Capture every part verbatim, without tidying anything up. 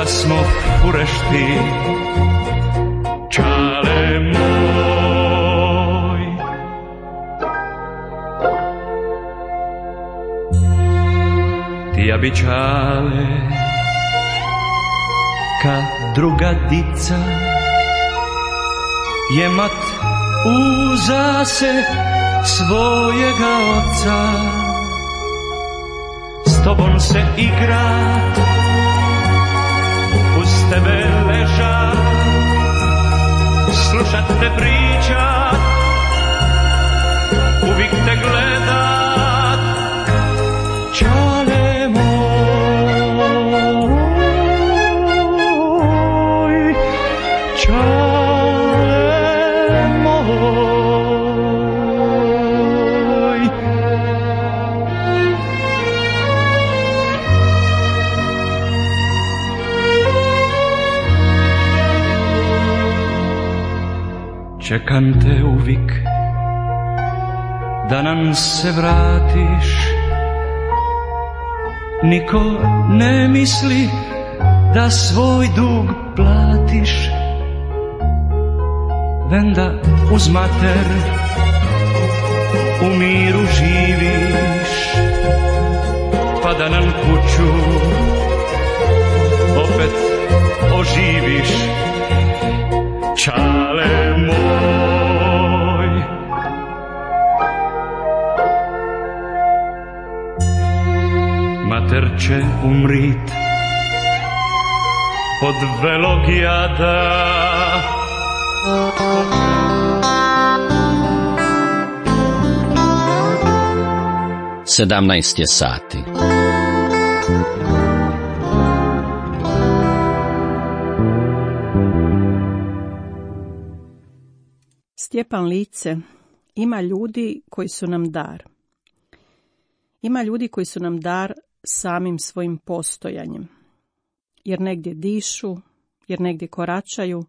da smo furešti, čale moj. Ti ja bi čale, ka druga dica, jemat uza se svojega oca, s tobom se igrat, uz tebe ležat, slušat te pričat, uvijek te gledat, čale moj, čale moj. Čekam te uvijek da nam se vratiš, niko ne misli da svoj dug platiš, venda uz mater u miru živiš, pa da nam kuću opet oživiš, čale moj. Mater će umrit od velog jada, sedamnaest je sati. Stjepan Lice, ima ljudi koji su nam dar. Ima ljudi koji su nam dar samim svojim postojanjem. Jer negdje dišu, jer negdje koračaju,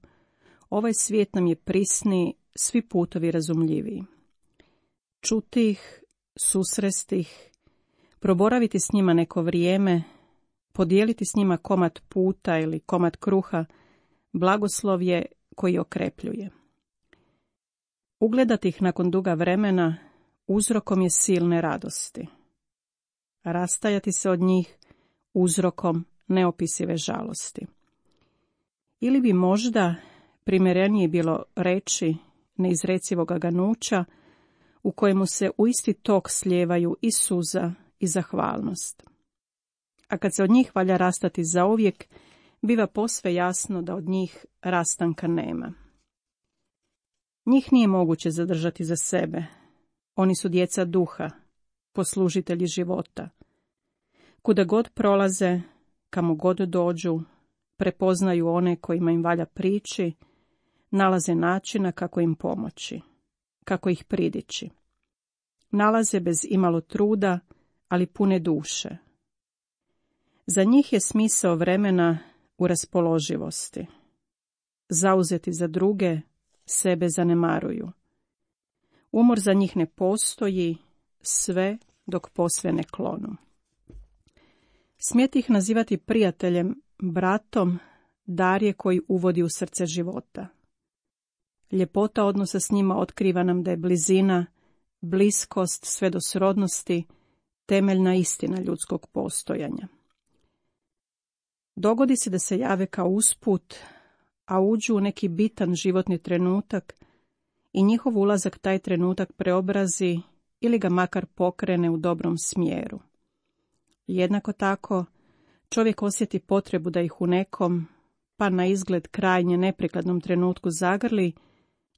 ovaj svijet nam je prisni, svi putovi razumljiviji. Čuti ih, susresti ih, proboraviti s njima neko vrijeme, podijeliti s njima komad puta ili komad kruha, blagoslov je koji okrepljuje. Ugledati ih nakon duga vremena uzrokom je silne radosti. Rastajati se od njih uzrokom neopisive žalosti. Ili bi možda primjerenije bilo reći neizrecivoga ganuća u kojemu se u isti tok slijevaju i suza i zahvalnost. A kad se od njih valja rastati zauvijek, biva posve jasno da od njih rastanka nema. Njih nije moguće zadržati za sebe. Oni su djeca duha, poslužitelji života. Kuda god prolaze, kamo god dođu, prepoznaju one kojima im valja prići, nalaze načina kako im pomoći, kako ih pridići. Nalaze bez imalo truda, ali pune duše. Za njih je smisao vremena u raspoloživosti. Zauzeti za druge, sebe zanemaruju. Umor za njih ne postoji, sve dok posve ne klonu. Smijete ih nazivati prijateljem, bratom, dar je koji uvodi u srce života. Ljepota odnosa s njima otkriva nam da je blizina, bliskost sve do srodnosti, temeljna istina ljudskog postojanja. Dogodi se da se jave kao usput, a uđu u neki bitan životni trenutak i njihov ulazak taj trenutak preobrazi ili ga makar pokrene u dobrom smjeru. Jednako tako, čovjek osjeti potrebu da ih u nekom, pa na izgled krajnje neprikladnom trenutku zagrli,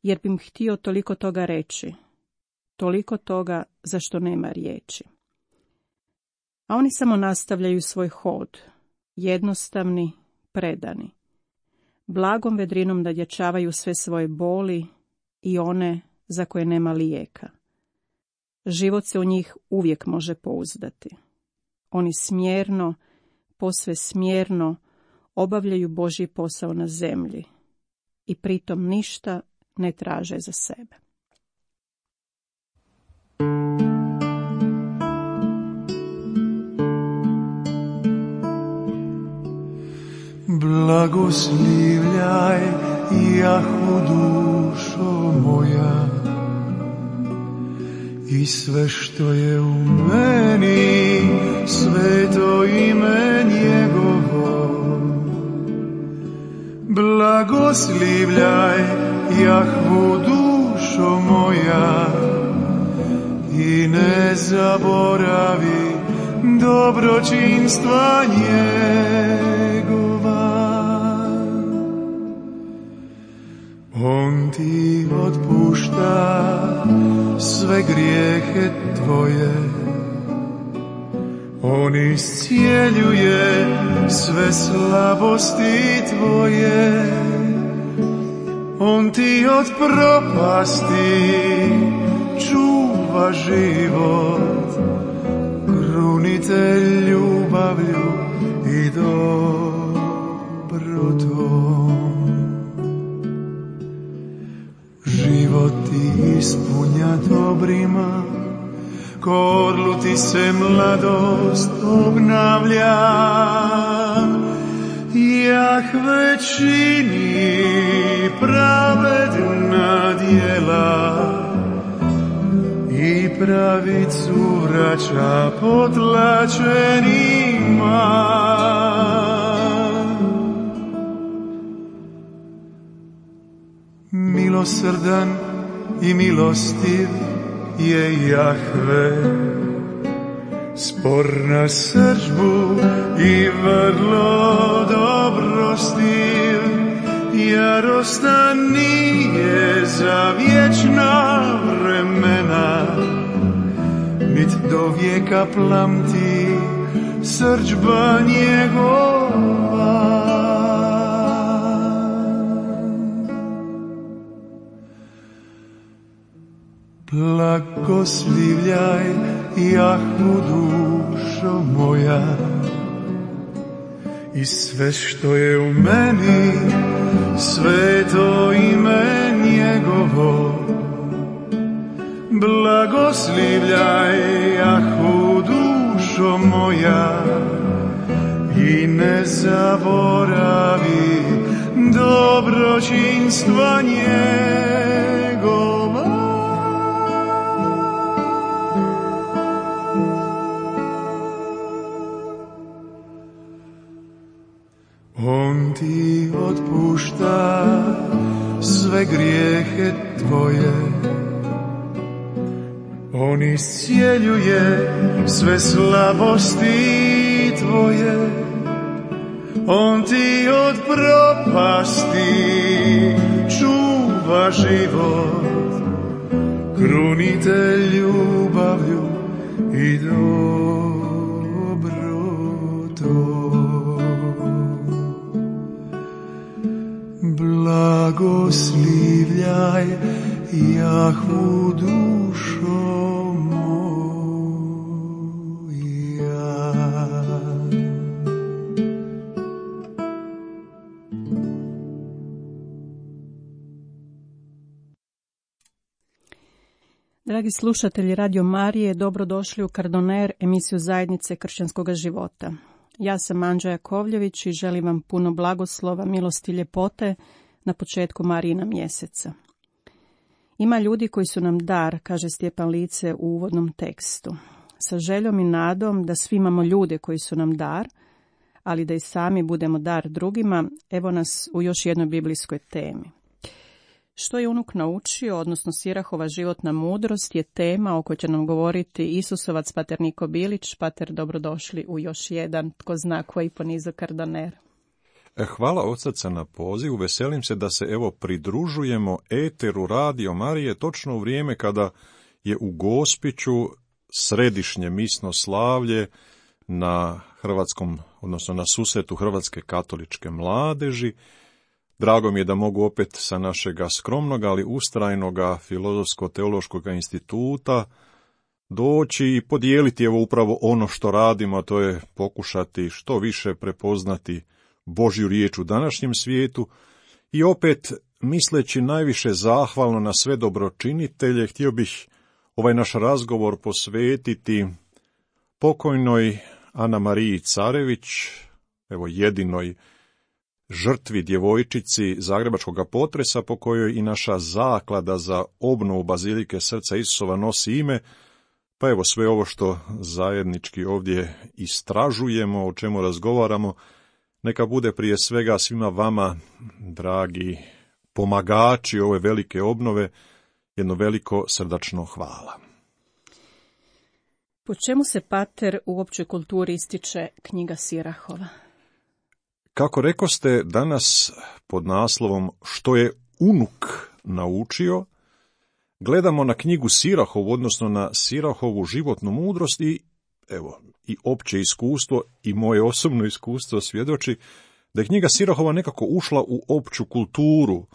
jer bi im htio toliko toga reći, toliko toga za što nema riječi. A oni samo nastavljaju svoj hod, jednostavni, predani. Blagom vedrinom nadjačavaju sve svoje boli i one za koje nema lijeka. Život se u njih uvijek može pouzdati. Oni smjerno, posve smjerno obavljaju Božji posao na zemlji i pritom ništa ne traže za sebe. Blagoslivljaj, jahu dušo moja, i sve što je u meni, sveto ime njegovo. Blagoslivljaj, Jahvu dušo moja, i ne zaboravi dobročinstva njegova. On ti otpušta sve grijehe tvoje, on iscijeljuje sve slabosti tvoje, on ti od propasti čuva život, krunitelj ljubavlju i dobrotom. Život ti ispunja dobrima, ko orlu ti se mladost obnavlja. Jahve čini pravedna djela i pravicu vraća potlačenima. Milosrdan i milostiv je Jahve, spor na srdžbu i vrlo dobrostiv, jarostan nije za vječna vremena, nit do vijeka plamti srdžba njegova. Blagoslivljaj, Jahvu dušo moja, i sve što je u meni, sveto ime njegovo. Blagoslivljaj, Jahvu dušo moja, i ne zaboravi dobročinstva njegova. On ti otpušta sve grijehe tvoje, on iscijeljuje sve slabosti tvoje, on ti od propasti čuva život, krunitelj ljubavlju i dobrotom. Blagoslivljaj, Jahvu dušo moja. Dragi slušatelji Radio Marije, dobrodošli u Kardoner, emisiju Zajednice kršćanskog života. Ja sam Anđa Jakovljević i želim vam puno blagoslova, milosti i ljepote na početku Marijina mjeseca. Ima ljudi koji su nam dar, kaže Stjepan Lice u uvodnom tekstu. Sa željom i nadom da svi imamo ljude koji su nam dar, ali da i sami budemo dar drugima, evo nas u još jednoj biblijskoj temi. Što je unuk naučio, odnosno Sirahova životna mudrost, je tema o kojoj će nam govoriti Isusovac pater Niko Bilić. Pater, dobrodošli u još jedan, tko zna koji ponizo Kardoner. Hvala od srca na pozivu, veselim se da se evo pridružujemo eteru Radio Marije točno u vrijeme kada je u Gospiću središnje misno slavlje na hrvatskom, odnosno na susretu Hrvatske katoličke mladeži. Drago mi je da mogu opet sa našega skromnog, ali ustrajnoga Filozofsko-teološkog instituta doći i podijeliti evo upravo ono što radimo, a to je pokušati što više prepoznati Božju riječ u današnjem svijetu i opet, misleći najviše zahvalno na sve dobročinitelje, htio bih ovaj naš razgovor posvetiti pokojnoj Ana Mariji Carević, evo jedinoj žrtvi djevojčici zagrebačkog potresa po kojoj i naša zaklada za obnovu Bazilike Srca Isusova nosi ime, pa evo sve ovo što zajednički ovdje istražujemo, o čemu razgovaramo, neka bude prije svega svima vama, dragi pomagači ove velike obnove, jedno veliko srdačno hvala. Po čemu se, pater, u općoj kulturi ističe knjiga Sirahova? Kako rekoste, danas pod naslovom Što je unuk naučio, gledamo na knjigu Sirahovu, odnosno na Sirahovu životnu mudrost i, evo, i opće iskustvo i moje osobno iskustvo svjedoči da je knjiga Sirahova nekako ušla u opću kulturu.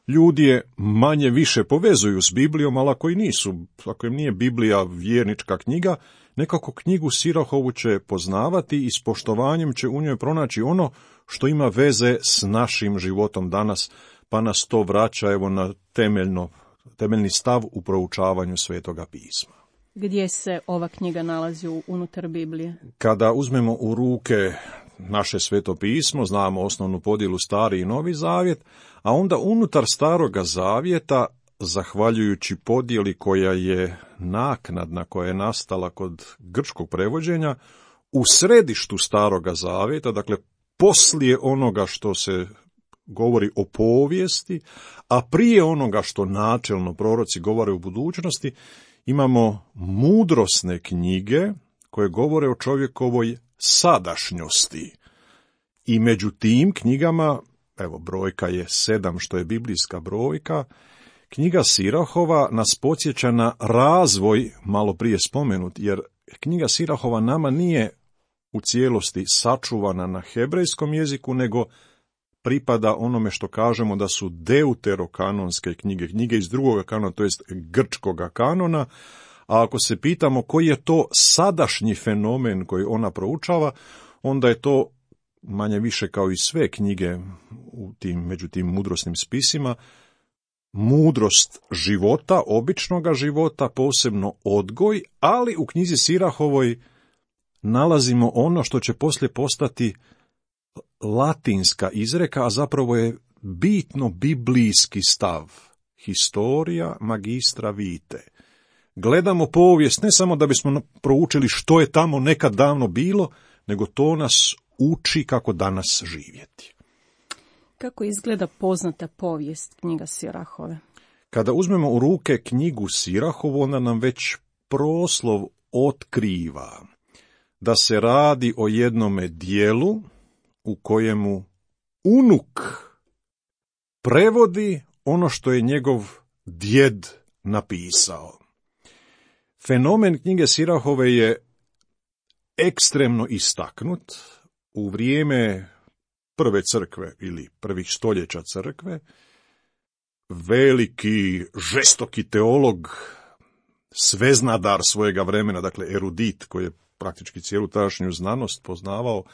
Ljudi je manje više povezuju s Biblijom, ali ako i nisu, ako im nije Biblija vjernička knjiga, nekako knjigu Sirahovu će poznavati i s poštovanjem će u njoj pronaći ono što ima veze s našim životom danas, pa nas to vraća evo na temeljno, temeljni stav u proučavanju Svetoga pisma. Gdje se ova knjiga nalazi unutar Biblije? Kada uzmemo u ruke naše Sveto pismo, znamo osnovnu podjelu Stari i Novi Zavjet, a onda unutar Staroga Zavjeta, zahvaljujući podjeli koja je naknadna, koja je nastala kod grčkog prevođenja, u središtu Staroga Zavjeta, dakle poslije onoga što se govori o povijesti, a prije onoga što načelno proroci govore u budućnosti, imamo mudrosne knjige koje govore o čovjekovoj sadašnjosti. I među tim knjigama, evo brojka je sedam što je biblijska brojka, knjiga Sirahova nas podsjeća na razvoj, malo prije spomenut, jer knjiga Sirahova nama nije u cijelosti sačuvana na hebrejskom jeziku, nego pripada onome što kažemo da su deuterokanonske knjige, knjige iz drugoga kanona, to jest grčkoga kanona, a ako se pitamo koji je to sadašnji fenomen koji ona proučava, onda je to manje više kao i sve knjige u tim, među tim mudrosnim spisima, mudrost života, običnoga života, posebno odgoj, ali u knjizi Sirahovoj nalazimo ono što će poslije postati latinska izreka, a zapravo je bitno biblijski stav. Historia magistra vitae. Gledamo povijest ne samo da bismo proučili što je tamo nekad davno bilo, nego to nas uči kako danas živjeti. Kako izgleda poznata povijest knjiga Sirahove? Kada uzmemo u ruke knjigu Sirahovu, onda nam već proslov otkriva da se radi o jednome dijelu u kojemu unuk prevodi ono što je njegov djed napisao. Fenomen knjige Sirahove je ekstremno istaknut u vrijeme prve crkve ili prvih stoljeća crkve. Veliki, žestoki teolog, sveznadar svojega vremena, dakle erudit koji je praktički cijelu tadašnju znanost poznavao,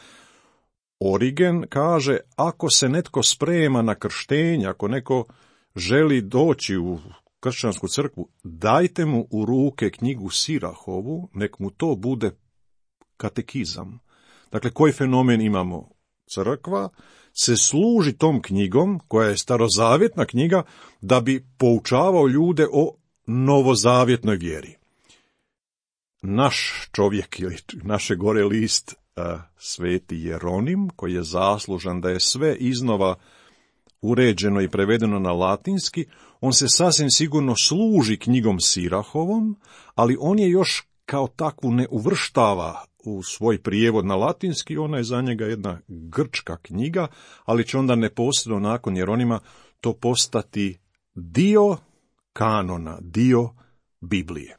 Origen kaže, ako se netko sprema na krštenje, ako neko želi doći u kršćansku crkvu, dajte mu u ruke knjigu Sirahovu, nek mu to bude katekizam. Dakle, koji fenomen imamo? Crkva se služi tom knjigom, koja je starozavjetna knjiga, da bi poučavao ljude o novozavjetnoj vjeri. Naš čovjek ili naše gore list, Sveti Jeronim, koji je zaslužan da je sve iznova uređeno i prevedeno na latinski, on se sasvim sigurno služi knjigom Sirahovom, ali on je još kao takvu ne uvrštava u svoj prijevod na latinski, ona je za njega jedna grčka knjiga, ali će onda neposredno nakon Jeronima to postati dio kanona, dio Biblije.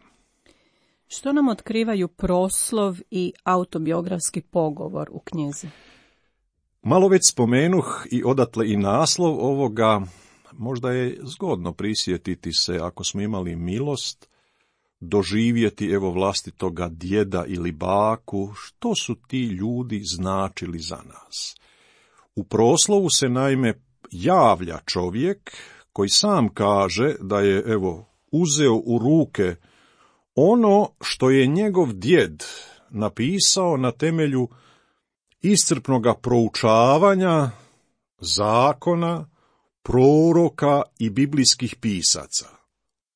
Što nam otkrivaju proslov i autobiografski pogovor u knjizi? Malo već spomenuh i odatle i naslov ovoga, možda je zgodno prisjetiti se, ako smo imali milost, doživjeti evo vlastitoga djeda ili baku, što su ti ljudi značili za nas. U proslovu se naime javlja čovjek koji sam kaže da je evo uzeo u ruke ono što je njegov djed napisao na temelju iscrpnoga proučavanja zakona, proroka i biblijskih pisaca.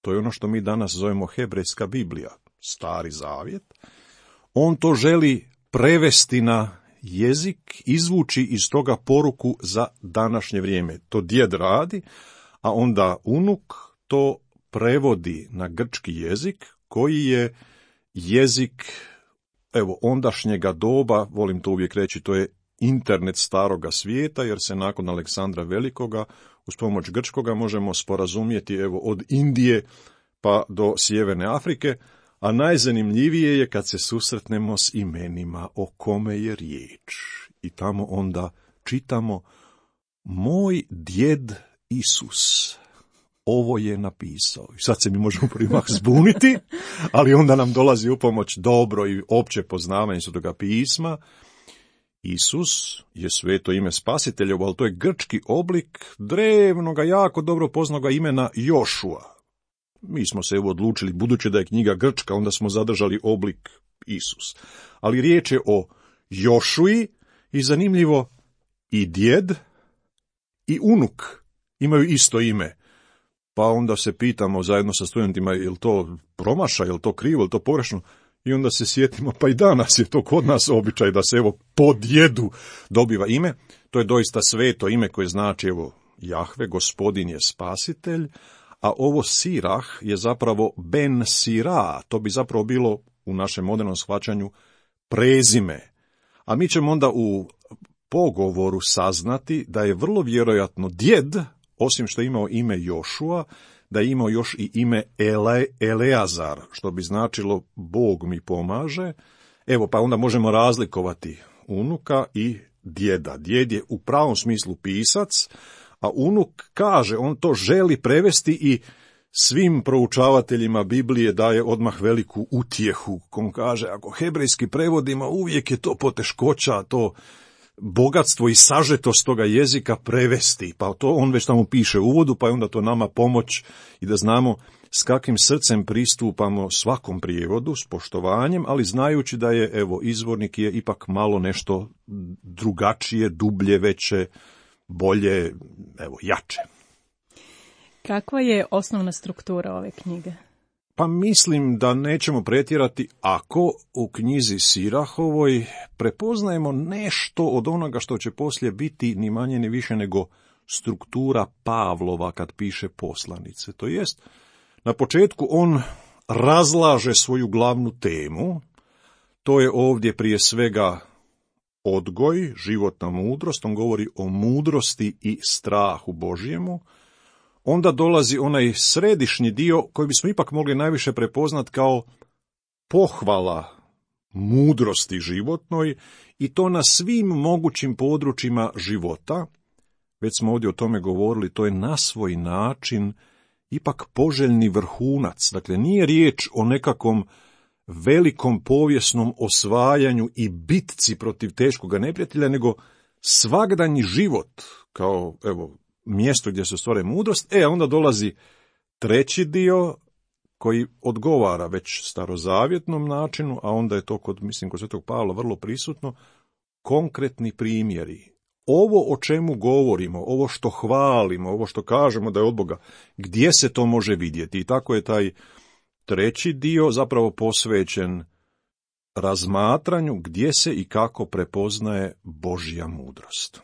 To je ono što mi danas zovemo hebrejska Biblija, Stari zavjet. On to želi prevesti na jezik, izvući iz toga poruku za današnje vrijeme. To djed radi, a onda unuk to prevodi na grčki jezik, koji je jezik, evo, ondašnjega doba, volim to uvijek reći, to je internet staroga svijeta, jer se nakon Aleksandra Velikoga uz pomoć grčkoga možemo sporazumjeti, evo, od Indije pa do Sjeverne Afrike, a najzanimljivije je kad se susretnemo s imenima o kome je riječ. I tamo onda čitamo: moj djed Isus ovo je napisao. I sad se mi možemo primah zbuniti, ali onda nam dolazi u pomoć dobro i opće poznavanje Svetoga pisma. Isus je sveto ime spasiteljevo, ali to je grčki oblik drevnoga, jako dobro poznaga imena Jošua. Mi smo se evo odlučili, budući da je knjiga grčka, onda smo zadržali oblik Isus. Ali riječ je o Jošui i zanimljivo, i djed i unuk imaju isto ime. Pa onda se pitamo zajedno sa studentima, je li to promašaj, je li to krivo, je li to pogrešno? I onda se sjetimo, pa i danas je to kod nas običaj da se evo po djedu dobiva ime. To je doista sveto ime koje znači evo Jahve, gospodin je spasitelj, a ovo Sirah je zapravo Ben Sira, to bi zapravo bilo u našem modernom shvaćanju prezime. A mi ćemo onda u pogovoru saznati da je vrlo vjerojatno djed, osim što je imao ime Jošua, da je imao još i ime Ele, Eleazar, što bi značilo Bog mi pomaže. Evo, pa onda možemo razlikovati unuka i djeda. Djed je u pravom smislu pisac, a unuk kaže, on to želi prevesti i svim proučavateljima Biblije daje odmah veliku utjehu. On kaže, ako hebrejski prevodimo, uvijek je to poteškoća, to bogatstvo i sažetost toga jezika prevesti. Pa to on već tamo piše u uvodu, pa je onda to nama pomoć i da znamo s kakvim srcem pristupamo svakom prijevodu, s poštovanjem, ali znajući da je, evo, izvornik je ipak malo nešto drugačije, dublje, veće, bolje, evo, jače. Kakva je osnovna struktura ove knjige? Pa mislim da nećemo pretjerati ako u knjizi Sirahovoj prepoznajemo nešto od onoga što će poslije biti ni manje ni više nego struktura Pavlova kad piše poslanice. To jest, na početku on razlaže svoju glavnu temu, to je ovdje prije svega odgoj, životna mudrost, on govori o mudrosti i strahu Božjemu. Onda dolazi onaj središnji dio koji bismo ipak mogli najviše prepoznat kao pohvala mudrosti životnoj i to na svim mogućim područjima života. Već smo ovdje o tome govorili, to je na svoj način ipak poželjni vrhunac. Dakle, nije riječ o nekakvom velikom povijesnom osvajanju i bitci protiv teškoga neprijatelja, nego svagdanji život kao, evo, mjesto gdje se stvara mudrost. E, onda dolazi treći dio koji odgovara već starozavjetnom načinu, a onda je to kod, mislim, kod Svetog Pavla vrlo prisutno, konkretni primjeri. Ovo o čemu govorimo, ovo što hvalimo, ovo što kažemo da je od Boga, gdje se to može vidjeti? I tako je taj treći dio zapravo posvećen razmatranju gdje se i kako prepoznaje Božja mudrost.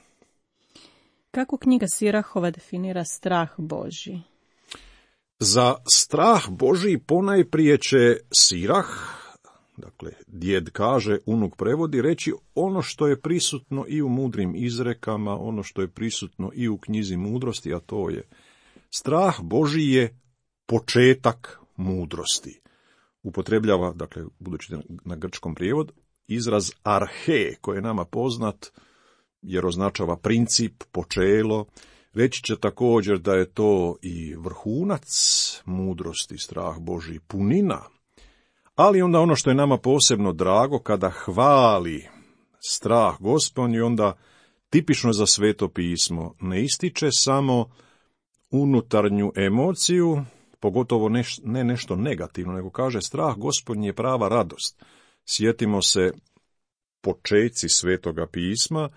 Kako knjiga Sirahova definira strah Božji? Za strah Božji ponajprije će Sirah, dakle djed kaže, unuk prevodi, reći ono što je prisutno i u mudrim izrekama, ono što je prisutno i u knjizi mudrosti, a to je strah Božji je početak mudrosti. Upotrebljava, dakle, budući na grčkom prijevod, izraz arhe, koji je nama poznat, jer označava princip, počelo. Reći će također da je to i vrhunac mudrosti, strah Božji, punina. Ali onda ono što je nama posebno drago, kada hvali strah Gospodnji, onda tipično za Sveto pismo ne ističe samo unutarnju emociju, pogotovo neš, ne nešto negativno, nego kaže strah Gospodnji je prava radost. Sjetimo se počeci Svetoga pisma,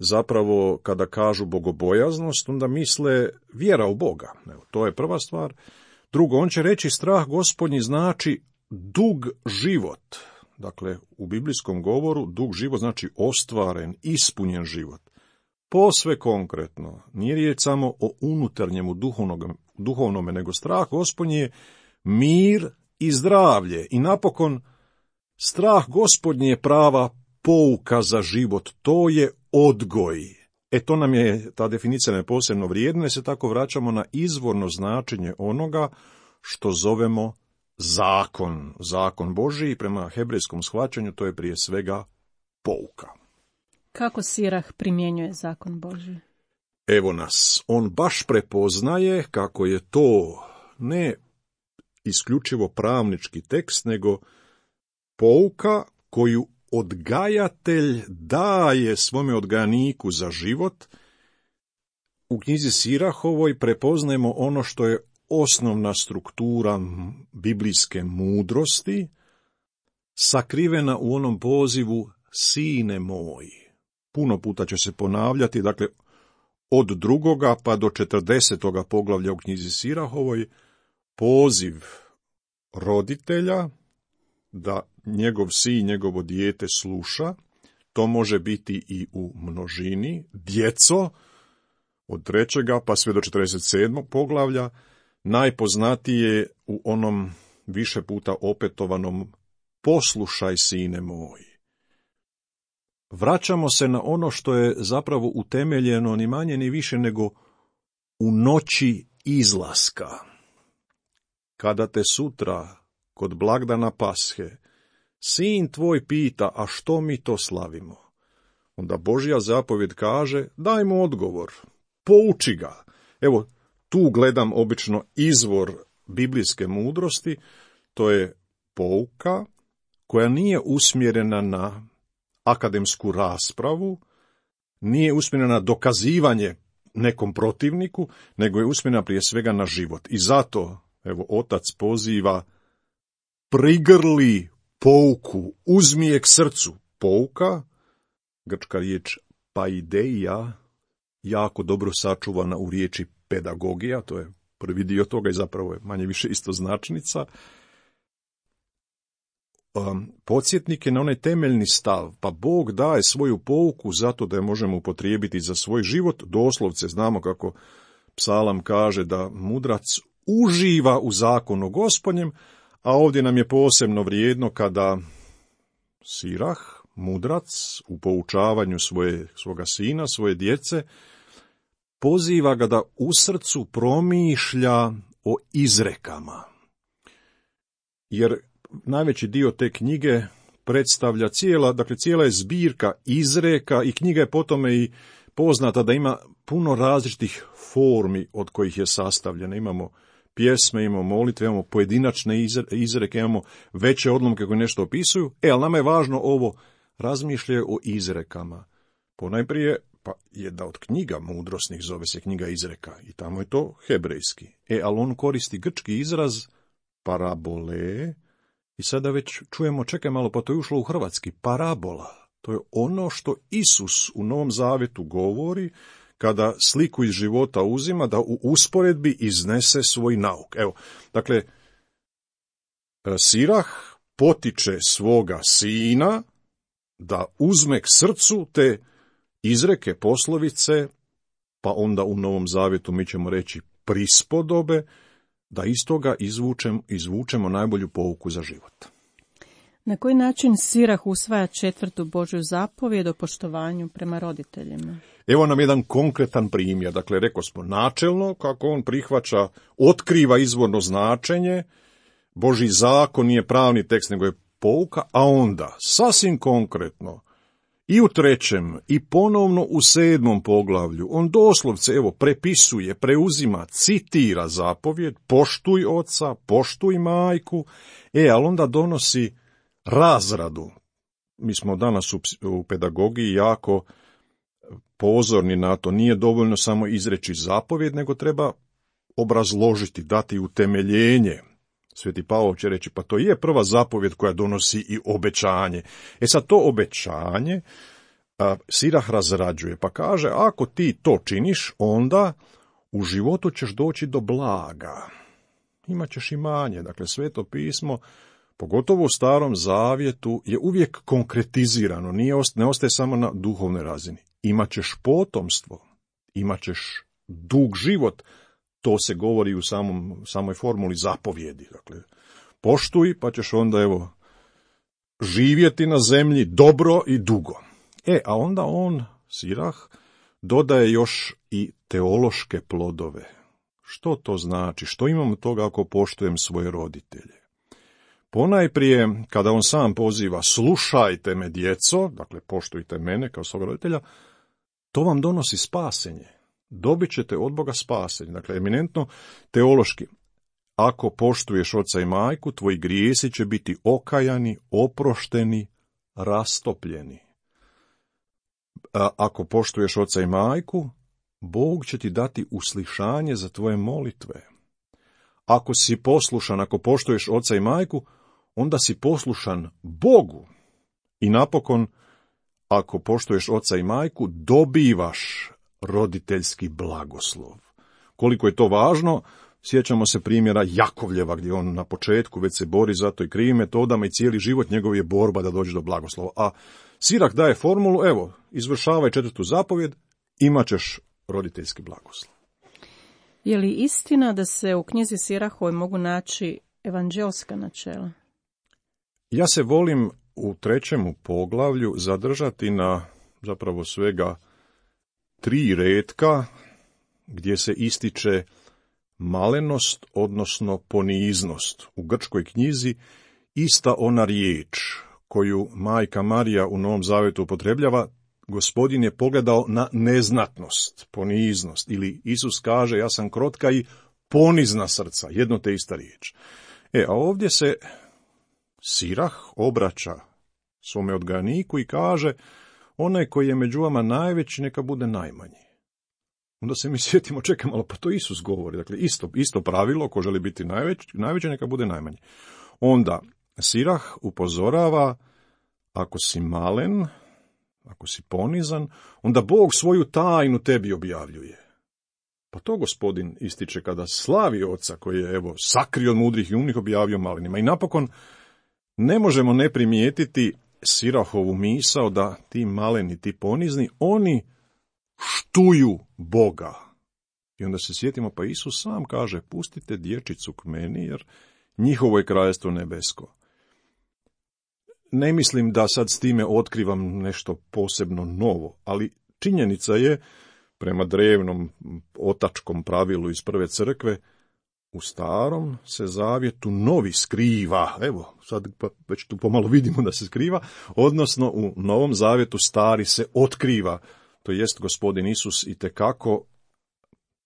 zapravo kada kažu bogobojaznost, onda misle vjera u Boga. Evo, to je prva stvar. Drugo, on će reći strah Gospodnji znači dug život. Dakle, u biblijskom govoru dug život znači ostvaren, ispunjen život. Posve konkretno, nije riječ samo o unutarnjemu duhovnome, nego strah Gospodnji je mir i zdravlje. I napokon, strah Gospodnji je prava pouka za život, to je odgoj. E to nam je, ta definicija je posebno vrijedna, se tako vraćamo na izvorno značenje onoga što zovemo zakon. Zakon Božiji, prema hebrejskom shvaćanju, to je prije svega pouka. Kako Sirah primjenjuje zakon Božji? Evo nas, on baš prepoznaje kako je to ne isključivo pravnički tekst, nego pouka koju odgajatelj daje svome odgajaniku za život. U knjizi Sirahovoj prepoznajemo ono što je osnovna struktura biblijske mudrosti, sakrivena u onom pozivu sine moj. Puno puta će se ponavljati, dakle, od drugoga pa do četrdesetoga poglavlja u knjizi Sirahovoj, poziv roditelja da njegov sin, njegovo dijete sluša. To može biti i u množini. Djeco, od trećega pa sve do četrdeset sedmog poglavlja, najpoznatije u onom više puta opetovanom poslušaj sine moj. Vraćamo se na ono što je zapravo utemeljeno ni manje ni više nego u noći izlaska. Kada te sutra kod blagdana Pashe sin tvoj pita, a što mi to slavimo? Onda Božja zapovjed kaže, daj mu odgovor, pouči ga. Evo, tu gledam obično izvor biblijske mudrosti, to je pouka koja nije usmjerena na akademsku raspravu, nije usmjerena na dokazivanje nekom protivniku, nego je usmjerena prije svega na život. I zato, evo, otac poziva, prigrli pouku, uzmi je k srcu. Pouka, grčka riječ paideia, jako dobro sačuvana u riječi pedagogija, to je prvi dio toga i zapravo je manje više istoznačnica. Um, podsjetnik je na onaj temeljni stav, pa Bog daje svoju pouku zato da je možemo upotrijebiti za svoj život. Doslovce znamo kako psalam kaže da mudrac uživa u zakonu Gospodnjem, a ovdje nam je posebno vrijedno kada Sirah, mudrac, u poučavanju svoje, svoga sina, svoje djece, poziva ga da u srcu promišlja o izrekama. Jer najveći dio te knjige predstavlja cijela, dakle cijela je zbirka izreka i knjiga je po tome i poznata da ima puno različitih formi od kojih je sastavljena. Imamo pjesme, imamo molitve, imamo pojedinačne izreke, imamo veće odlomke koje nešto opisuju. E, ali nama je važno ovo, razmišljaju o izrekama. Ponajprije, pa jedna od knjiga mudrosnih zove se knjiga izreka i tamo je to hebrejski. E, ali on koristi grčki izraz parabole i sada već čujemo, čekaj malo, pa to je ušlo u hrvatski, parabola. To je ono što Isus u Novom Zavjetu govori kada sliku iz života uzima da u usporedbi iznese svoj nauk. Evo, dakle, Sirah potiče svoga sina da uzme k srcu te izreke, poslovice, pa onda u Novom Zavjetu mi ćemo reći prispodobe, da iz toga izvučem, izvučemo najbolju pouku za život. Na koji način Sirah usvaja četvrtu Božju zapovjed o poštovanju prema roditeljima? Evo nam jedan konkretan primjer. Dakle, rekao smo načelno kako on prihvaća, otkriva izvorno značenje, Božji zakon nije pravni tekst, nego je pouka, a onda, sasvim konkretno, i u trećem, i ponovno u sedmom poglavlju, on doslovce, evo, prepisuje, preuzima, citira zapovjed, poštuj oca, poštuj majku, e, ali onda donosi razradu. Mi smo danas u, u pedagogiji jako pozorni na to. Nije dovoljno samo izreći zapovjed, nego treba obrazložiti, dati utemeljenje. Sveti Pavao će reći, pa to je prva zapovjed koja donosi i obećanje. E sad to obećanje Sirah razrađuje, pa kaže, ako ti to činiš, onda u životu ćeš doći do blaga. Imaćeš imanje. Dakle, Sveto pismo, pogotovo u Starom zavjetu, je uvijek konkretizirano, nije, ne ostaje samo na duhovnoj razini. Imaćeš potomstvo, imaćeš dug život, to se govori u samom, samoj formuli zapovjedi. Dakle, poštuj, pa ćeš onda, evo, živjeti na zemlji dobro i dugo. E, a onda on, Sirah, dodaje još i teološke plodove. Što to znači? Što imam od toga ako poštujem svoje roditelje? Ponajprije, kada on sam poziva, slušajte me, djeco, dakle, poštujte mene kao svog roditelja, to vam donosi spasenje. Dobit ćete od Boga spasenje. Dakle, eminentno teološki. Ako poštuješ oca i majku, tvoji grijesi će biti okajani, oprošteni, rastopljeni. A ako poštuješ oca i majku, Bog će ti dati uslišanje za tvoje molitve. Ako si poslušan, ako poštuješ oca i majku, onda si poslušan Bogu. I napokon, ako poštuješ oca i majku, dobivaš roditeljski blagoslov. Koliko je to važno, sjećamo se primjera Jakovljeva, gdje on na početku već se bori za to i krivim metodama i cijeli život njegov je borba da dođe do blagoslova. A Sirah daje formulu, evo, izvršavaj četvrtu zapovjed, imat ćeš roditeljski blagoslov. Je li istina da se u knjizi Sirahovoj mogu naći evanđelska načela? Ja se volim u trećemu poglavlju zadržati na zapravo svega tri retka gdje se ističe malenost, odnosno poniznost. U grčkoj knjizi ista ona riječ koju majka Marija u Novom Zavjetu upotrebljava, Gospodin je pogledao na neznatnost, poniznost, ili Isus kaže, ja sam krotka i ponizna srca, jedno te ista riječ. E, a ovdje se Sirah obraća svome odgajaniku i kaže, onaj koji je među vama najveći, neka bude najmanji. Onda se mi sjetimo, čekaj malo, pa to Isus govori, dakle isto, isto pravilo, ko želi biti najveći, najveći, neka bude najmanji. Onda Sirah upozorava, ako si malen, ako si ponizan, onda Bog svoju tajnu tebi objavljuje. Pa to Gospodin ističe kada slavi oca koji je, evo, sakrio od mudrih i umnih, objavio malenima. I napokon ne možemo ne primijetiti Sirahovu misao da ti maleni, ti ponizni, oni štuju Boga. I onda se sjetimo, pa Isus sam kaže, pustite dječicu k meni, jer njihovo je kraljestvo nebesko. Ne mislim da sad s time otkrivam nešto posebno novo, ali činjenica je, prema drevnom otačkom pravilu iz prve crkve, u starom se zavjetu novi skriva, evo, sad pa već tu pomalo vidimo da se skriva, odnosno u novom zavjetu stari se otkriva, to jest Gospodin Isus itekako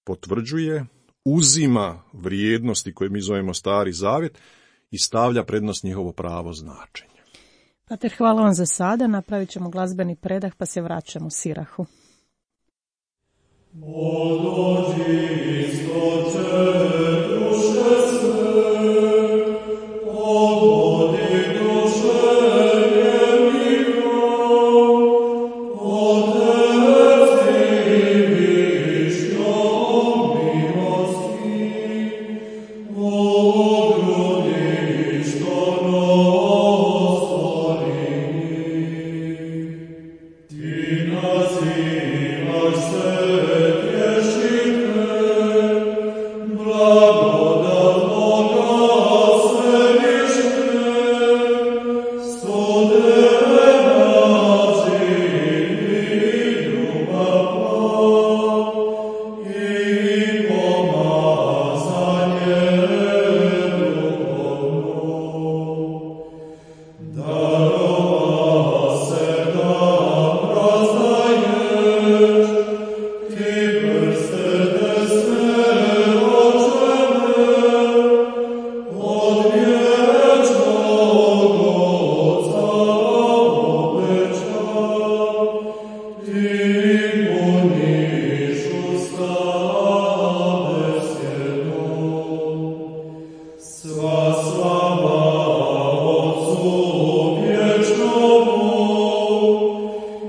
potvrđuje, uzima vrijednosti koje mi zovemo stari zavjet i stavlja prednost njihovo pravo značenje. Pater, hvala vam za sada, napravit ćemo glazbeni predah pa se vraćamo Sirahu. O dođi istoče duše sve, pogodi duše vjernika, Otec i višnjo milosti, o grudi što nostori, ti nazivaš se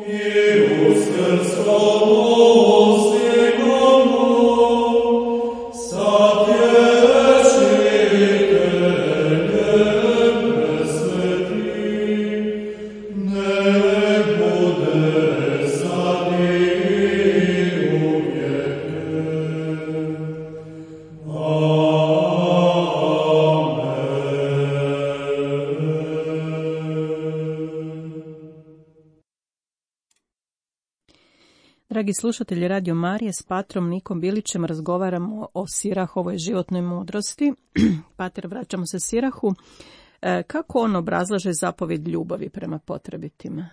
Here Dragi slušatelji Radio Marije, s patrom Nikom Bilićem razgovaramo o Sirahovoj životnoj mudrosti. Pater, vraćamo se Sirahu. E, kako on obrazlaže zapovjed ljubavi prema potrebitima?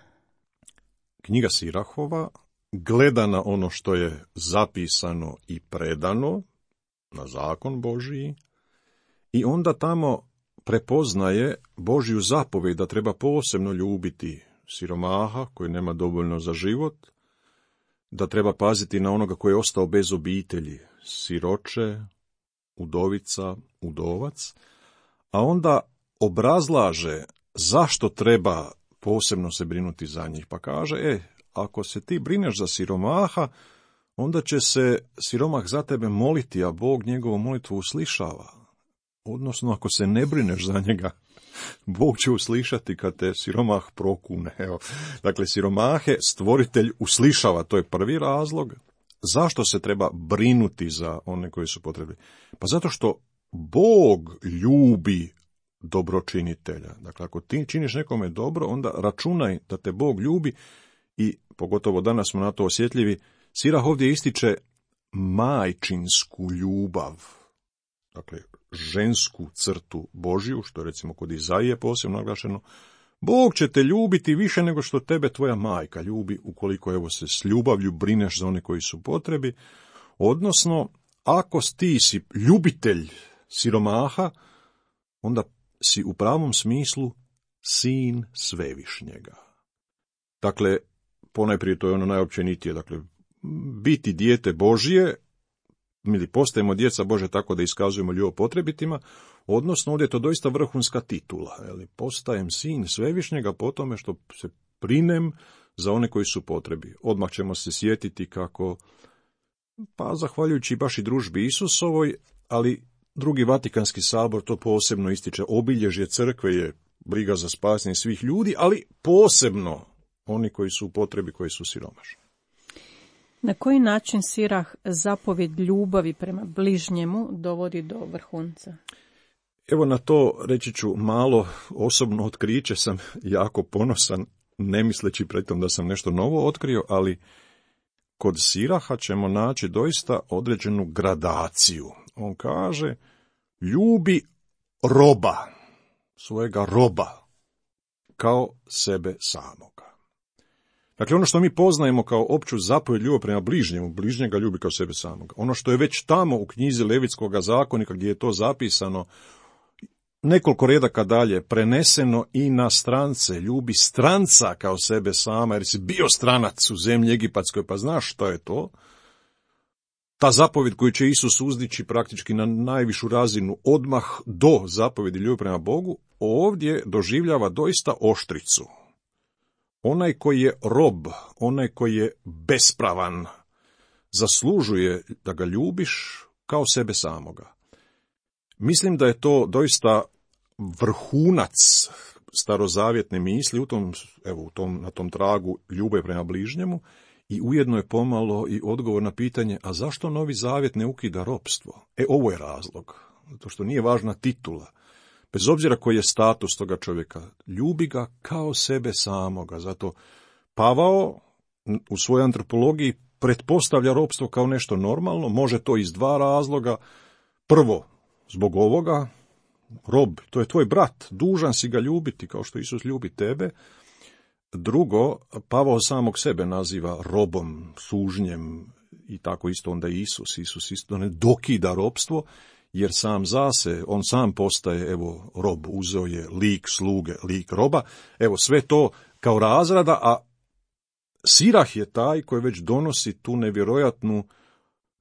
Knjiga Sirahova gleda na ono što je zapisano i predano, na zakon Božiji, i onda tamo prepoznaje Božju zapovjed da treba posebno ljubiti siromaha koji nema dovoljno za život, da treba paziti na onoga koji je ostao bez obitelji, siroče, udovica, udovac, a onda obrazlaže zašto treba posebno se brinuti za njih. Pa kaže, e, ako se ti brineš za siromaha, onda će se siromah za tebe moliti, a Bog njegovu molitvu uslišava. Odnosno, ako se ne brineš za njega, Bog će uslišati kad te siromah prokune. Evo. Dakle, siromahe stvoritelj uslišava, to je prvi razlog. Zašto se treba brinuti za one koji su potrebni? Pa zato što Bog ljubi dobročinitelja. Dakle, ako ti činiš nekome dobro, onda računaj da te Bog ljubi i pogotovo danas smo na to osjetljivi. Sirah ovdje ističe majčinsku ljubav. Dakle, žensku crtu Božju, što je recimo kod Izaije posebno naglašeno. Bog će te ljubiti više nego što tebe tvoja majka ljubi, ukoliko evo se s ljubavlju brineš za one koji su potrebi. Odnosno, ako ti si ljubitelj siromaha, onda si u pravom smislu sin Svevišnjega. Dakle, ponajprije to je ono najopćenitije, dakle, biti dijete Božje, mi postajemo djeca Bože tako da iskazujemo ljubav potrebitima, odnosno ovdje je to doista vrhunska titula. Jeli, postajem sin Svevišnjega po tome što se brinem za one koji su potrebi. Odmah ćemo se sjetiti kako, pa zahvaljujući baš i družbi Isusovoj, ali drugi Vatikanski sabor to posebno ističe. Obilježje crkve je briga za spasenje svih ljudi, ali posebno oni koji su u potrebi, koji su siromašni. Na koji način Sirah zapovjed ljubavi prema bližnjemu dovodi do vrhunca? Evo na to reći ću malo osobno otkriće, sam jako ponosan, ne misleći pritom da sam nešto novo otkrio, ali kod Siraha ćemo naći doista određenu gradaciju. On kaže, ljubi roba, svojega roba, kao sebe samoga. Dakle, ono što mi poznajemo kao opću zapovjed ljubav prema bližnjemu, bližnjega ljubi kao sebe samoga. Ono što je već tamo u knjizi Levitskoga zakonika gdje je to zapisano, nekoliko redaka dalje, preneseno i na strance, ljubi stranca kao sebe sama, jer si bio stranac u zemlji Egipatskoj, pa znaš što je to. Ta zapovjed koju će Isus uzdići praktički na najvišu razinu odmah do zapovjedi ljubavi prema Bogu, ovdje doživljava doista oštricu. Onaj koji je rob, onaj koji je bespravan, zaslužuje da ga ljubiš kao sebe samoga. Mislim da je to doista vrhunac starozavjetne misli u tom, evo, u tom, na tom tragu ljubavi prema bližnjemu i ujedno je pomalo i odgovor na pitanje, a zašto Novi Zavjet ne ukida ropstvo? E, ovo je razlog, zato što nije važna titula. Bez obzira koji je status toga čovjeka, ljubi ga kao sebe samoga. Zato Pavao u svojoj antropologiji pretpostavlja ropstvo kao nešto normalno, može to iz dva razloga. Prvo, zbog ovoga, rob, to je tvoj brat, dužan si ga ljubiti kao što Isus ljubi tebe. Drugo, Pavao samog sebe naziva robom, sužnjem i tako isto onda Isus. Isus isto ne dokida ropstvo, jer sam zase, on sam postaje, evo, rob, uzeo je lik sluge, lik roba, evo, sve to kao razrada, a Sirah je taj koji već donosi tu nevjerojatnu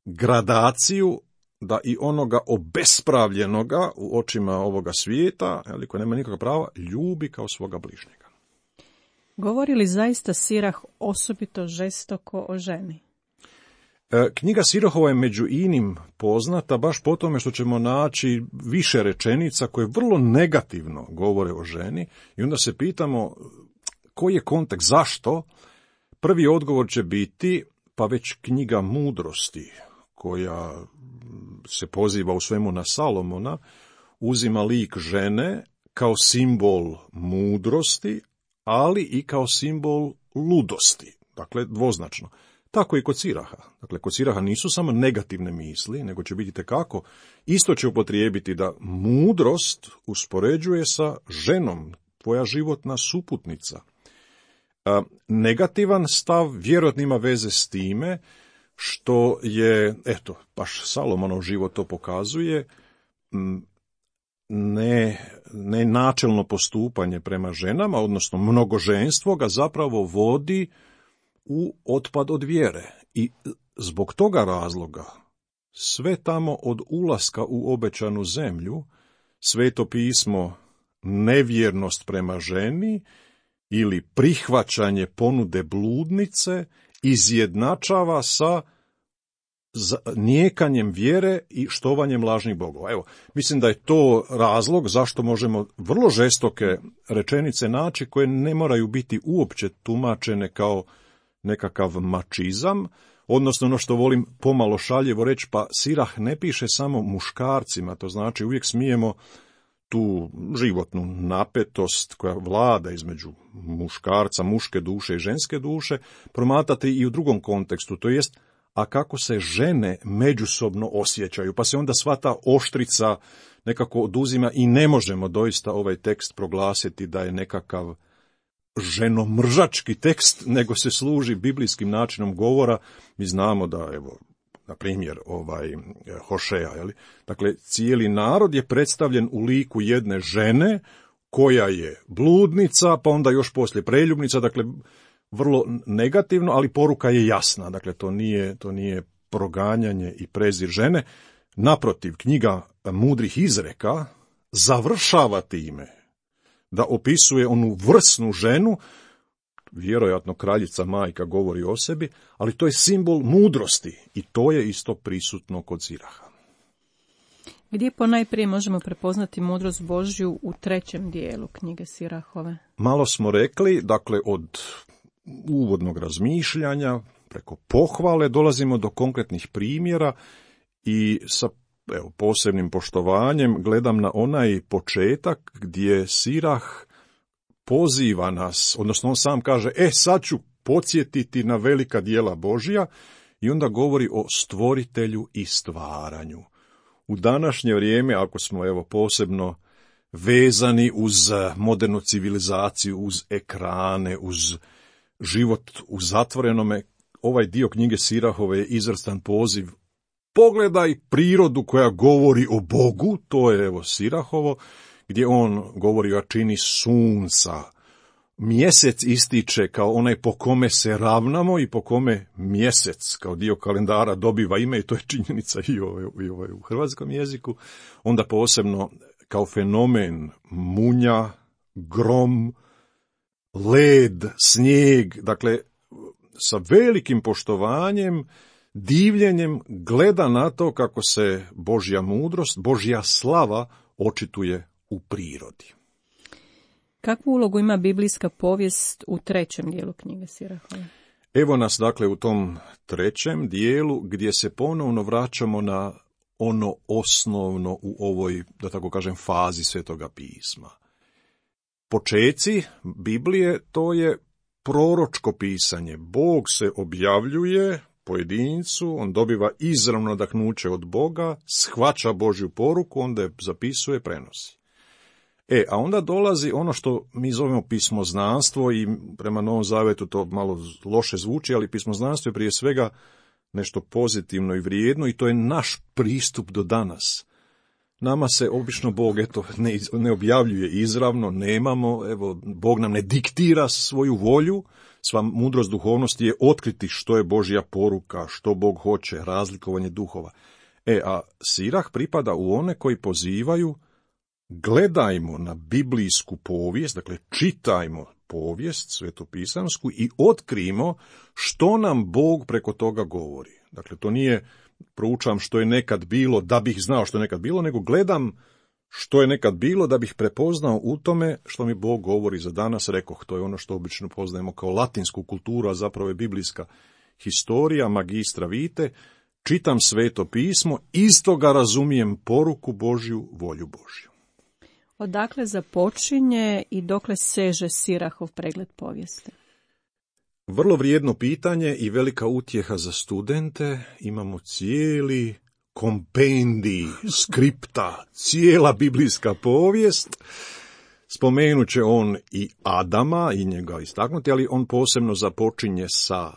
gradaciju da i onoga obespravljenoga u očima ovoga svijeta, ali koji nema nikakva prava, ljubi kao svoga bližnjega. Govori li zaista Sirah osobito žestoko o ženi? Knjiga Sirahova je među inim poznata baš po tome što ćemo naći više rečenica koje vrlo negativno govore o ženi i onda se pitamo koji je kontekst, zašto? Prvi odgovor će biti pa već knjiga Mudrosti koja se poziva u svemu na Salomona, uzima lik žene kao simbol mudrosti, ali i kao simbol ludosti, dakle dvoznačno. Tako i kod Siraha. Dakle, kod Siraha nisu samo negativne misli, nego će biti tekako. Isto će upotrijebiti da mudrost uspoređuje sa ženom, tvoja životna suputnica. A, negativan stav vjerojatno ima veze s time što je, eto, baš Salomonov život to pokazuje, ne, ne načelno postupanje prema ženama, odnosno mnogoženstvo ga zapravo vodi u otpad od vjere. I zbog toga razloga sve tamo od ulaska u obećanu zemlju, Sveto pismo nevjernost prema ženi ili prihvaćanje ponude bludnice izjednačava sa nijekanjem vjere i štovanjem lažnih bogova. Evo, mislim da je to razlog zašto možemo vrlo žestoke rečenice naći koje ne moraju biti uopće tumačene kao nekakav mačizam, odnosno ono što volim pomalo šaljivo reći, pa Sirah ne piše samo muškarcima, to znači uvijek smijemo tu životnu napetost koja vlada između muškarca, muške duše i ženske duše, promatrati i u drugom kontekstu, to jest, a kako se žene međusobno osjećaju, pa se onda sva ta oštrica nekako oduzima i ne možemo doista ovaj tekst proglasiti da je nekakav ženomržački tekst, nego se služi biblijskim načinom govora. Mi znamo da, evo, na primjer, ovaj Hošeja, je li? Dakle, cijeli narod je predstavljen u liku jedne žene koja je bludnica, pa onda još poslije preljubnica, dakle, vrlo negativno, ali poruka je jasna. Dakle, to nije, to nije proganjanje i prezir žene. Naprotiv, knjiga mudrih izreka završava time da opisuje onu vrsnu ženu, vjerojatno kraljica majka govori o sebi, ali to je simbol mudrosti i to je isto prisutno kod Siraha. Gdje ponajprije možemo prepoznati mudrost Božju u trećem dijelu knjige Sirahove? Malo smo rekli, dakle, od uvodnog razmišljanja, preko pohvale, dolazimo do konkretnih primjera i sa evo, posebnim poštovanjem gledam na onaj početak gdje Sirah poziva nas, odnosno on sam kaže, e sad ću podsjetiti na velika djela Božja i onda govori o stvoritelju i stvaranju. U današnje vrijeme, ako smo evo posebno vezani uz modernu civilizaciju, uz ekrane, uz život u zatvorenome, ovaj dio knjige Sirahove je izvrstan poziv. Pogledaj prirodu koja govori o Bogu, to je evo Sirahovo, gdje on govori o jačini sunca. Mjesec ističe kao onaj po kome se ravnamo i po kome mjesec kao dio kalendara dobiva ime, i to je činjenica i ovaj, i ovaj u hrvatskom jeziku. Onda posebno kao fenomen munja, grom, led, snijeg, dakle sa velikim poštovanjem, divljenjem gleda na to kako se Božja mudrost, Božja slava očituje u prirodi. Kakvu ulogu ima biblijska povijest u trećem dijelu knjige Sirahove? Evo nas dakle u tom trećem dijelu gdje se ponovno vraćamo na ono osnovno u ovoj, da tako kažem, fazi Svetoga pisma. Počeci Biblije to je proročko pisanje. Bog se objavljuje pojedincu, on dobiva izravno nadahnuće od Boga, shvaća Božju poruku, onda je zapisuje, prenosi. E, a onda dolazi ono što mi zovemo pismoznanstvo i prema Novom Zavetu to malo loše zvuči, ali pismoznanstvo je prije svega nešto pozitivno i vrijedno i to je naš pristup do danas. Nama se obično Bog eto, ne, ne objavljuje izravno, nemamo, evo, Bog nam ne diktira svoju volju, sva mudrost duhovnosti je otkriti što je Božja poruka, što Bog hoće, razlikovanje duhova. E, a Sirah pripada u one koji pozivaju, gledajmo na biblijsku povijest, dakle čitajmo povijest svetopisansku i otkrijmo što nam Bog preko toga govori. Dakle, to nije proučavam što je nekad bilo da bih znao što je nekad bilo, nego gledam što je nekad bilo da bih prepoznao u tome što mi Bog govori za danas. Rekoh, to je ono što obično poznajemo kao latinsku kulturu, a zapravo je biblijska historija, magistra vitae. Čitam Sveto pismo, iz toga razumijem poruku Božju, volju Božju. Odakle započinje i dokle seže Sirahov pregled povijesti? Vrlo vrijedno pitanje i velika utjeha za studente. Imamo cijeli kompendij skripta, cijela biblijska povijest. Spomenut će on i Adama i njega istaknuti, ali on posebno započinje sa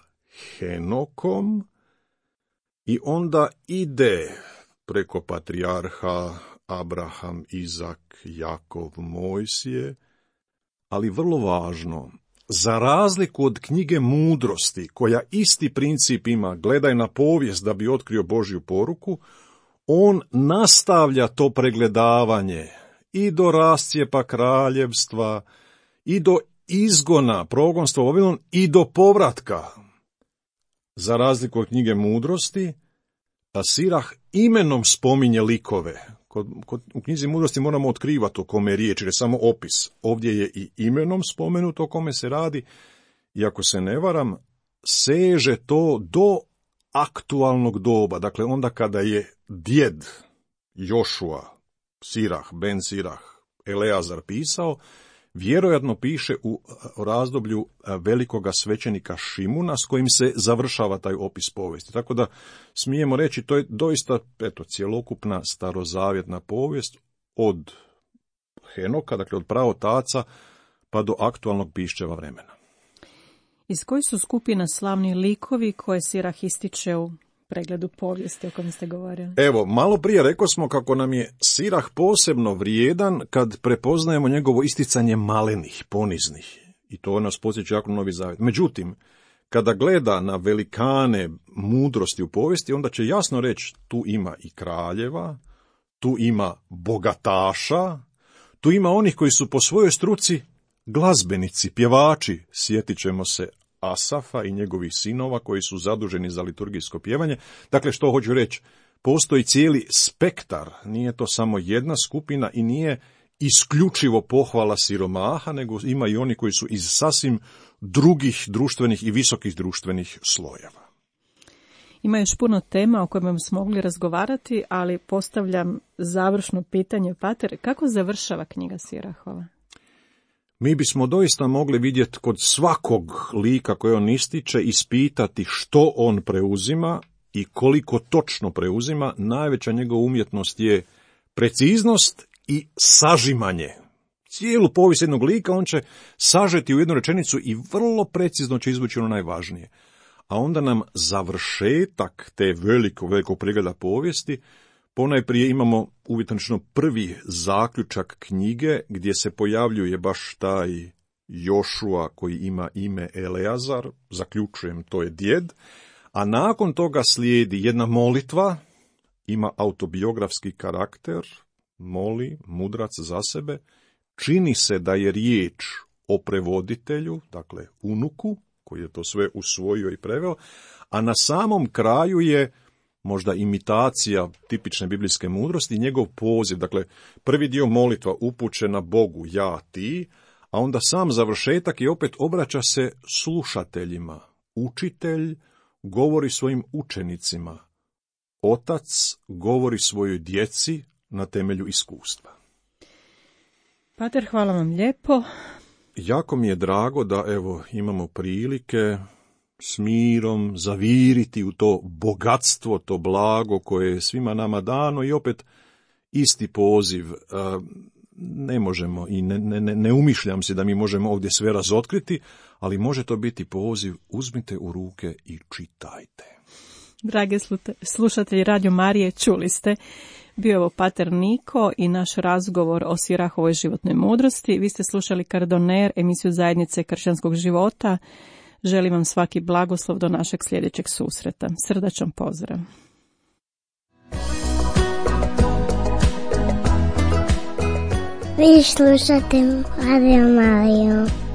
Henokom i onda ide preko patrijarha Abraham, Izak, Jakov, Mojsije, ali vrlo važno, za razliku od knjige Mudrosti, koja isti princip ima, gledaj na povijest da bi otkrio Božju poruku, on nastavlja to pregledavanje i do rascijepa kraljevstva, i do izgona, progonstva u Vavilon, i do povratka. Za razliku od knjige Mudrosti, a Sirah imenom spominje likove. Kod, kod, u knjizi Mudrosti moramo otkrivati o kome je riječ, jer je samo opis. Ovdje je i imenom spomenuto o kome se radi, i ako se ne varam, seže to do aktualnog doba. Dakle, onda kada je djed Jošua, Sirah, Ben Sirah, Eleazar pisao, vjerojatno piše u razdoblju velikoga svećenika Šimuna s kojim se završava taj opis povijesti. Tako da smijemo reći, to je doista eto, cjelokupna starozavjetna povijest od Henoka, dakle od praotaca, pa do aktualnog piščeva vremena. Iz koji su skupina slavni likovi koje Sirah ističe u pregledu povijesti o kojem ste govorili? Evo, malo prije rekao smo kako nam je Sirah posebno vrijedan kad prepoznajemo njegovo isticanje malenih, poniznih. I to nas podsjeća jako Novi Zavjet. Međutim, kada gleda na velikane mudrosti u povijesti, onda će jasno reći tu ima i kraljeva, tu ima bogataša, tu ima onih koji su po svojoj struci glazbenici, pjevači. Sjetit ćemo se Asafa i njegovih sinova koji su zaduženi za liturgijsko pjevanje. Dakle, što hoću reći, postoji cijeli spektar, nije to samo jedna skupina i nije isključivo pohvala siromaha, nego ima i oni koji su iz sasvim drugih društvenih i visokih društvenih slojeva. Ima još puno tema o kojima smo mogli razgovarati, ali postavljam završno pitanje, pater, kako završava knjiga Sirahova? Mi bismo doista mogli vidjeti kod svakog lika koje on ističe, ispitati što on preuzima i koliko točno preuzima. Najveća njegova umjetnost je preciznost i sažimanje. Cijelu povijest jednog lika on će sažeti u jednu rečenicu i vrlo precizno će izvući ono najvažnije. A onda nam završetak te veliko, velikog pregleda povijesti. Ponajprije imamo uvjetno prvi zaključak knjige gdje se pojavljuje baš taj Jošua koji ima ime Eleazar, zaključujem to je djed, a nakon toga slijedi jedna molitva, ima autobiografski karakter, moli mudrac za sebe, čini se da je riječ o prevoditelju, dakle unuku, koji je to sve usvojio i preveo, a na samom kraju je možda imitacija tipične biblijske mudrosti, njegov poziv, dakle prvi dio molitva upućena Bogu, ja, ti, a onda sam završetak i opet obraća se slušateljima. Učitelj govori svojim učenicima, otac govori svojoj djeci na temelju iskustva. Pater, hvala vam lijepo. Jako mi je drago da evo imamo prilike s mirom zaviriti u to bogatstvo, to blago koje je svima nama dano i opet isti poziv. Ne možemo i ne, ne, ne umišljam se da mi možemo ovdje sve razotkriti, ali može to biti poziv, uzmite u ruke i čitajte. Drage slušatelji Radio Marije, čuli ste, bio je ovo pater Niko i naš razgovor o Sirahovoj životnoj mudrosti. Vi ste slušali Kardoner, emisiju Zajednice kršćanskog života. Želim vam svaki blagoslov do našeg sljedećeg susreta. Srdačan pozdrav. Vi slušate Radio Mariju.